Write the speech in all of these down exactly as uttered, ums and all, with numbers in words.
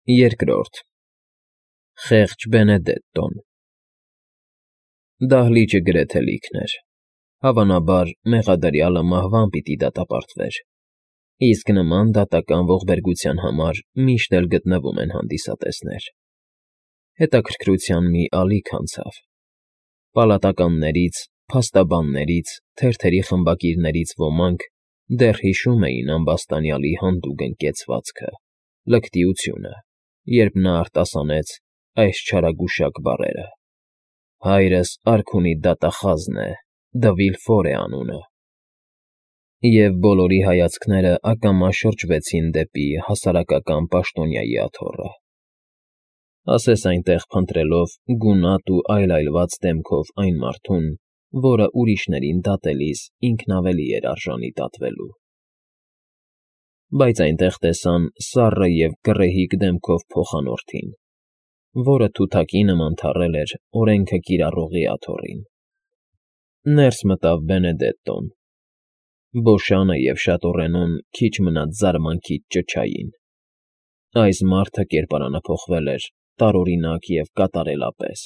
Երկրորդ Խեղճ Բենեդետտոն Դահլիճը գրեթե լիքն էր, հավանաբար, մեղադրյալը մահվան պիտի դատապարտվեր, իսկ նման դատական ողբերգության համար միշտ էլ գտնվում են հանդիսատեսներ. հետաքրքրության մի ալիք անցավ. պալատականներից, փաստաբաններից, թերթերի խմբակիրներից ոմանք դեռ հիշում էին ամբաստանյալի հանդուգն կեցվածքը, լկտիությունը, երբ նա արտասանեց այս չարագուշակ բառերը. «Հայրս արքունի դատախազն է, Դը Վիլֆոր է անունը»։ Եվ բոլորի հայացքները ակամա շրջվեցին դեպի հասարակական պաշտոնյայի աթոռը, ասես այնտեղ փնտրելով գունատ ու այլայլված դեմքով այն մարդուն, որը ուրիշներին դատելիս ինքն ավելի էր արժանի դատվելու։ Բայց այնտեղ տեսան սառը և գռեհիկ դեմքով փոխանորդին, որը թութակի նման թառել էր օրենքը կիրառողի աթոռին։ Ներս մտավ Բենեդետտոն. Բոշանը և շատոռենուն քիչ մնաց զարմանքից ճչային. այս մարդը կերպարանափոխվել էր տարօրինակ և կատարելապես։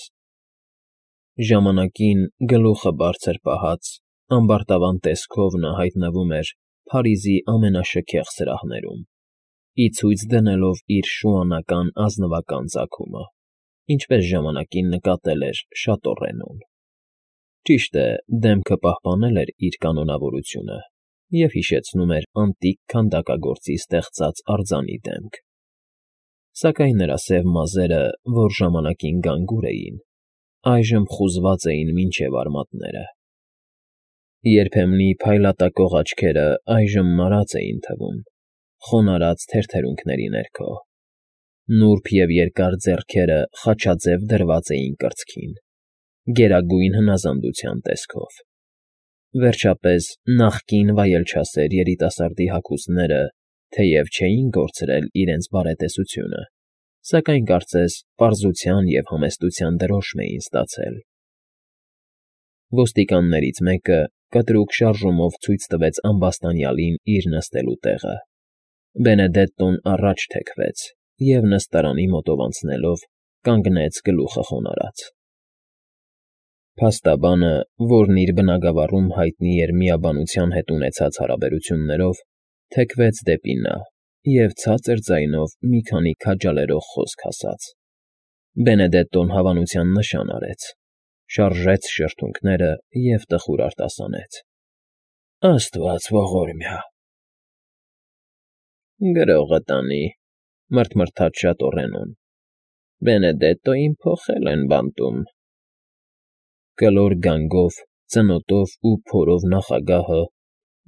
Ժամանակին, գլուխը բարձր պահած, ամբարտավան տեսքով նա հայտնվում էր Փարիզի ամենաշքեղ սրահներում, ի ցույց դնելով իր շուանական ազնվական ծագումը, ինչպես ժամանակին նկատել էր շատոռենուն։ Ճիշտ է, դեմքը պահպանել էր իր կանոնավորությունը և հիշեցնում էր անտիկ քանդակագործի ստեղծած արձանի դեմք, սակայն նրա սև մազերը, որ ժամանակին գանգուր էին, այժմ խուզված էին մինչև արմատները։ Երբեմնի փայլատակող աչքերը այժմ մարած էին թվում, խոնարհած թերթերունքների ներքո, նուրբ և երկար ձեռքերը խաչաձև դրված էին կրծքին, գերագույն հնազանդության տեսքով։ Վերջապես, նախկին վայելչասեր երիտասարդի հագուստները թեև չէին կորցրել իրենց բարետեսությունը, սակայն կարծես պարզության և համեստության դրոշմ էին ստացել։ Ոստիկաններից մեկը կտրուկ շարժումով ցույց տվեց ամբաստանյալին իր նստելու տեղը։ Բենեդետտոն առաջ թեքվեց և, նստարանի մոտով անցնելով, կանգնեց գլուխը խոնարհած։ Փաստաբանը, որն իր բնագավառում հայտնի էր միաբանության հետ ունեցած հարաբերություններով, թեքվեց դեպի նա և ցածր ձայնով մի քանի քաջալերող խոսք ասաց։ Բենեդետտոն հավանության նշան արեց, շարժեց շրթունքները և տխուր արտասանեց. «Աստված ողորմյա»։ «Գրողը տանի», մռթմռթաց շատոռենուն, «Բենեդետտոյին փոխել են բանտում»։ Կլոր գանգով, ծնոտով ու փորով նախագահը,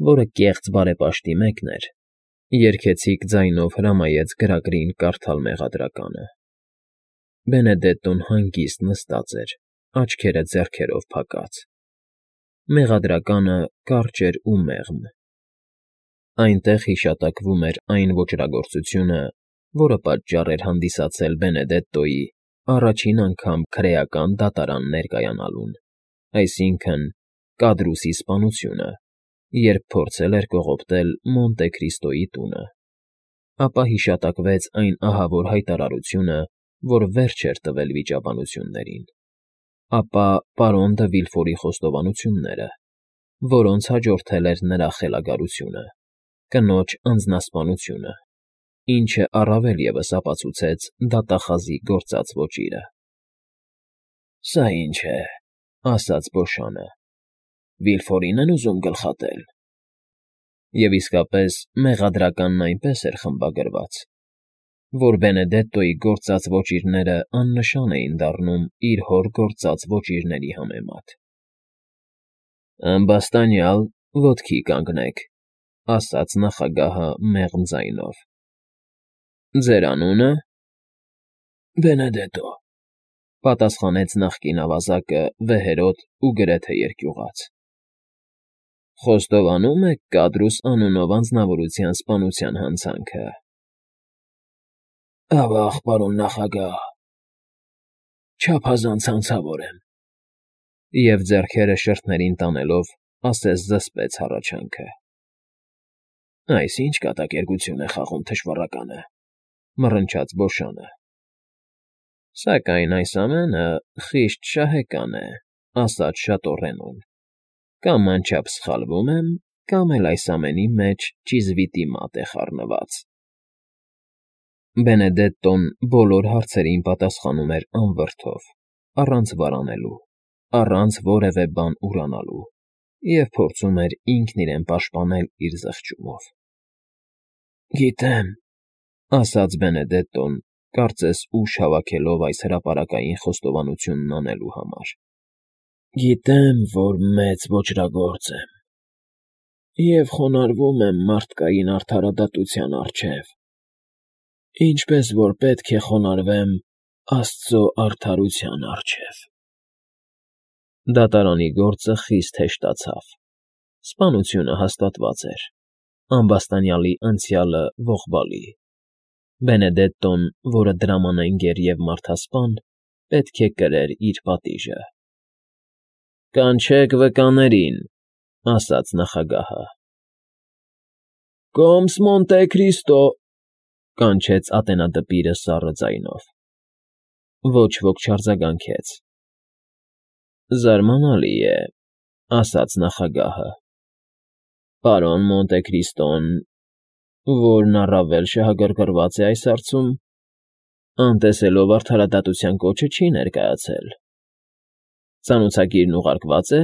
որը կեղծ բարեպաշտի մեկն էր, երգեցիկ ձայնով հրամայեց գրագրին կարդալ մեղադրականը։ Բենեդետտոն հանգիստ նստած էր, աչքերը ձեռքերով փակած։ Մեղադրականը կարճ էր ու մեղմ։ Այնտեղ հիշատակվում էր այն ոճրագործությունը, որը պատճառ էր հանդիսացել Բենեդետտոյի առաջին անգամ քրեական դատարան ներկայանալուն, այսինքն՝ Կադրուսի սպանությունը, երբ փորձել էր կողոպտել Մոնտե Քրիստոյի տունը, ապա հիշատակվեց այն ահավոր հայտարարությունը, որ վերջ էր տվել վիճաբանություններին, ապա պարոն Դը Վիլֆորի խոստովանությունները, որոնց հաջորդել էր նրա խելագարությունը, կնոջ անձնասպանությունը, ինչը առավել ևս ապացուցեց դատախազի գործած ոճիրը։ «Սա ի՞նչ է,֊ ասաց Բոշանը,֊ Վիլֆորի՞ն են ուզում գլխատել»։ Եվ իսկապես, մեղադրականն այնպես էր խմբագրված, որ Բենեդետտոյի գործած ոճիրները աննշան էին դառնում իր հոր գործած ոճիրների համեմատ։ «Ամբաստանյալ, ոտքի կանգնեք», ասաց նախագահը մեղմ ձայնով։ «Ձեր անունը»։ «Բենեդետտո», պատասխանեց նախկին ավազակը վեհերոտ ու գրեթե երկյուղած։ «Խոստովանո՞ւմ եք Կադրուս անունով անձնավորության սպանության հանցանքը»։ «Ավա՜ղ, պարոն նախագահ, չափազանց հանցավոր եմ», և ձեռքերը շրթներին տանելով, ասես զսպեց հառաչանքը։ «Այս ի՞նչ կատակերգություն է խաղում թշվառականը, Մռնչաց Բոշանը։ Սակայն այս ամենը խիստ շահեկան է, ասաց շատոռենուն, կամ անչափ սխալվում եմ, կամ էլ այս ամենի մեջ ճիզվիտի մատ է խառնված։ Բենեդետտոն բոլոր հարցերին պատասխանում էր անվրդով, առանց վարանելու, առանց որևէ բան ուրանալու, և փորձում էր ինքն իրեն պաշտպանել իր զղջումով։ Գիտեմ, ասաց Բենեդետտոն, կարծես ուժ հավաքելով այս հրապարակային խոստովանությունն անելու համար։ Գիտեմ, որ մեծ ոճրագործ եմ և խոնարհվում եմ մարդկային արդարադատության առջև, ինչպես որ պետք է խոնարհվեմ Աստծո արդարության առջև։ Դատարանի գործը խիստ հեշտացավ։ Սպանությունը հաստատված էր, ամբաստանյալի անցյալը ողբալի։ Բենեդետտոն, որը դրամանենգեր և մարդասպան, պետք է կրեր իր պատիժը։ Կանչեք վկաներին, ասաց նախագահը։ Կոմս Մոնտե Քրիստո, կանչեց ատենադպիրը սառը ձայնով։ Ոչ ոք չարձագանքեց։ Զարմանալի է, ասաց նախագահը։ Պարոն Մոնտե Քրիստոն, որն առավել շահագրգռված է այս հարցում, անտեսելով արդարադատության կոչը չի ներկայացել։ Ծանոթագիրն ուղարկվա՞ծ է։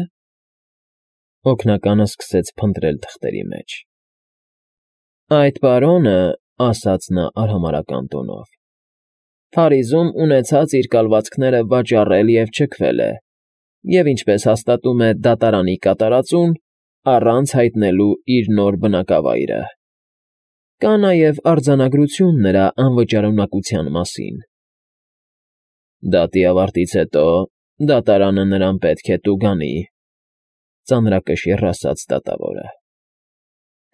Օգնականը սկսեց փնտրել թղթերի մեջ։ Այդ պարոնը, ասաց նա արհամարհական տոնով, Փարիզում ունեցած իր կալվածքները վաճառել և չքվել է, և ինչպես հաստատում է դատարանի կատարածուն, առանց հայտնելու իր նոր բնակավայրը։ Կա նաև արձանագրություն նրա անվճարունակության մասին։ Դատի ավարտից հետո դատարանը նրան պետք է տուգանի, ծանրակշիռ ասաց դատավորը։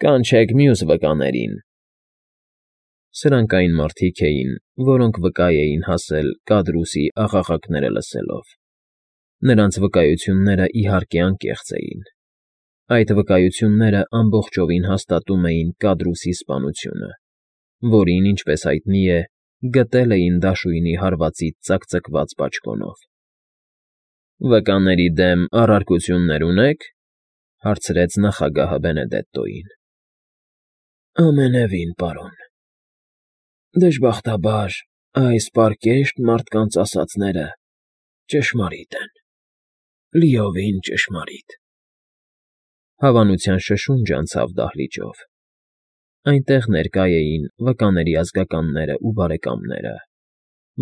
Կանչեք մյուս վկաներին։ Սրանք այն մարդիկ էին, որոնք վկա էին հասել Կադրուսի աղաղակները լսելով։ Նրանց վկայությունները, իհարկե, անկեղծ էին։ Այդ վկայությունները ամբողջովին հաստատում էին Կադրուսի սպանությունը, որին, ինչպես հայտնի է, գտել էին դաշույնի հարվածից ծակծկված բաճկոնով։ Վկաների դեմ առարկություննե՞ր ունեք, հարցրեց նախագահը Բենեդետտոյին։ Ամենևին, պարոն։ Դժբախտաբար, այս պարկեշտ մարդկանց ասածները ճշմարիտ են, լիովին ճշմարիտ։ Հավանության շշունջ անցավ դահլիճով։ Այնտեղ ներկա էին վկաների ազգականներն ու բարեկամները,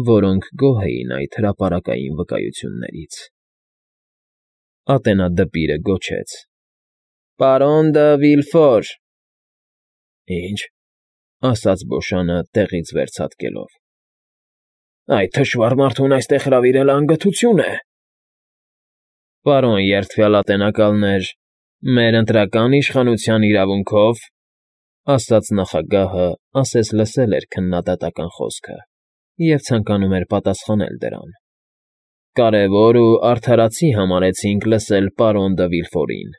որոնք գոհ էին այդ հրապարակային վկայություններից։ Ատենադպիրը գոչեց. Պարոն դը Վիլֆոր։ Ինչ, ասաց Բոշանը տեղից վերցատկելով։ Այդ թշվառ մարդուն այստեղ հրավիրելը անգթություն է։ Պարոն երդվյալ ատենակալներ, մեր ընտրական իշխանության իրավունքով, ասաց նախագահը, ասես լսել էր քննադատական խոսքը և ցանկանում էր պատասխանել դրան։ Կարևոր ու արդարացի համարեցինք լսել պարոն դը Վիլֆորին,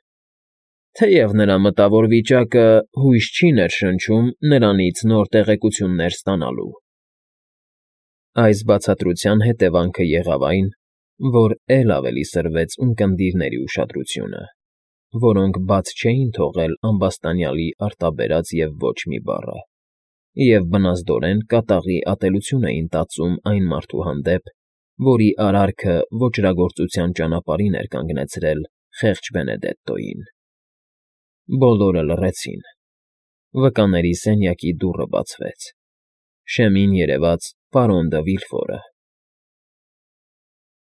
թեև նրա մտավոր վիճակը հույս չի ներշնչում նրանից նոր տեղեկություններ ստանալու։ Այս բացատրության հետևանքը եղավ այն, որ էլ ավելի սրվեց ունկնդիրների ուշադրությունը, որոնք բաց չէին թողել ամբաստանյալի արտաբերած և ոչ մի բառը, և բնազդորեն կատաղի ատելություն էին տածում այն մարդու հանդեպ, որի արարքը ոճրագործության ճանապարհին էր կանգնեցրել խեղճ Բենեդետտոյին։ Բոլորը լռեցին։ Վկաների սենյակի դուռը բացվեց։ Շեմին երևաց պարոն դը Վիլֆորը։